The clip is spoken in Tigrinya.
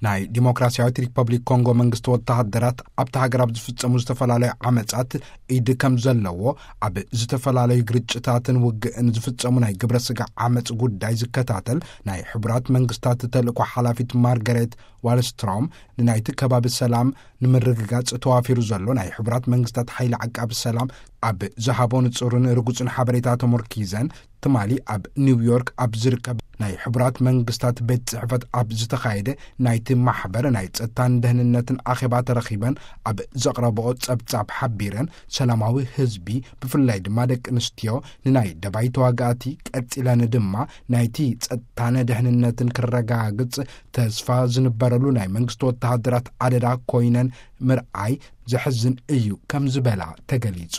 ናይ ዲሞክራሲያዊት ሪፐብሊክ ኮንጎ መንግስቲ ወተሃደራት ኣብቲ ሃገር ኣብ ዝፍጸሙ ዝተፈላለዩ ዓመጻት ኢድ ከም ዘለዎ፣ ኣብ ዝተፈላለዩ ግርጭታትን ውግእን ዝፍጸሙ ናይ ግብረ ስጋ ዓመጽ ጉዳይ ዝከታተል ናይ ሕቡራት መንግስታት ተልእኮ ሓላፊት ማርጋሬት ዋልስትሮም፣ ንናይቲ ከባቢ ሰላም ንምርግጋጽ ተዋፊሩ ዘሎ ናይ ሕቡራት መንግስታት ሓይሊ ዓቃቢ ሰላም ኣብ ዝሃቦ ንጹርን ርጉጽን ሓበሬታ ተመርኪዘን፣ ትማሊ ኣብ ኒውዮርክ ኣብ ዝርከብ ናይ ሕቡራት መንግስታት ቤት ጽሕፈት ኣብ ዝተኻየደ ናይቲ ማሕበር ናይ ጸጥታን ደህንነትን ኣኼባ ተረኺበን ኣብ ዘቕረብኦ ጸብጻብ ሓቢረን፣ ሰላማዊ ህዝቢ፣ ብፍላይ ድማ ደቂ ኣንስትዮ፣ ንናይ ደባይ ተዋጋእቲ ቀጺለን ድማ ናይቲ ጸጥታን ደህንነትን ክረጋግጽ ተስፋ ዝንበረሉ ናይ መንግስቲ ወተሃደራት ኣደዳ ኮይነን ምርኣይ ዘሕዝን እዩ ከም ዝበላ ተገሊጹ።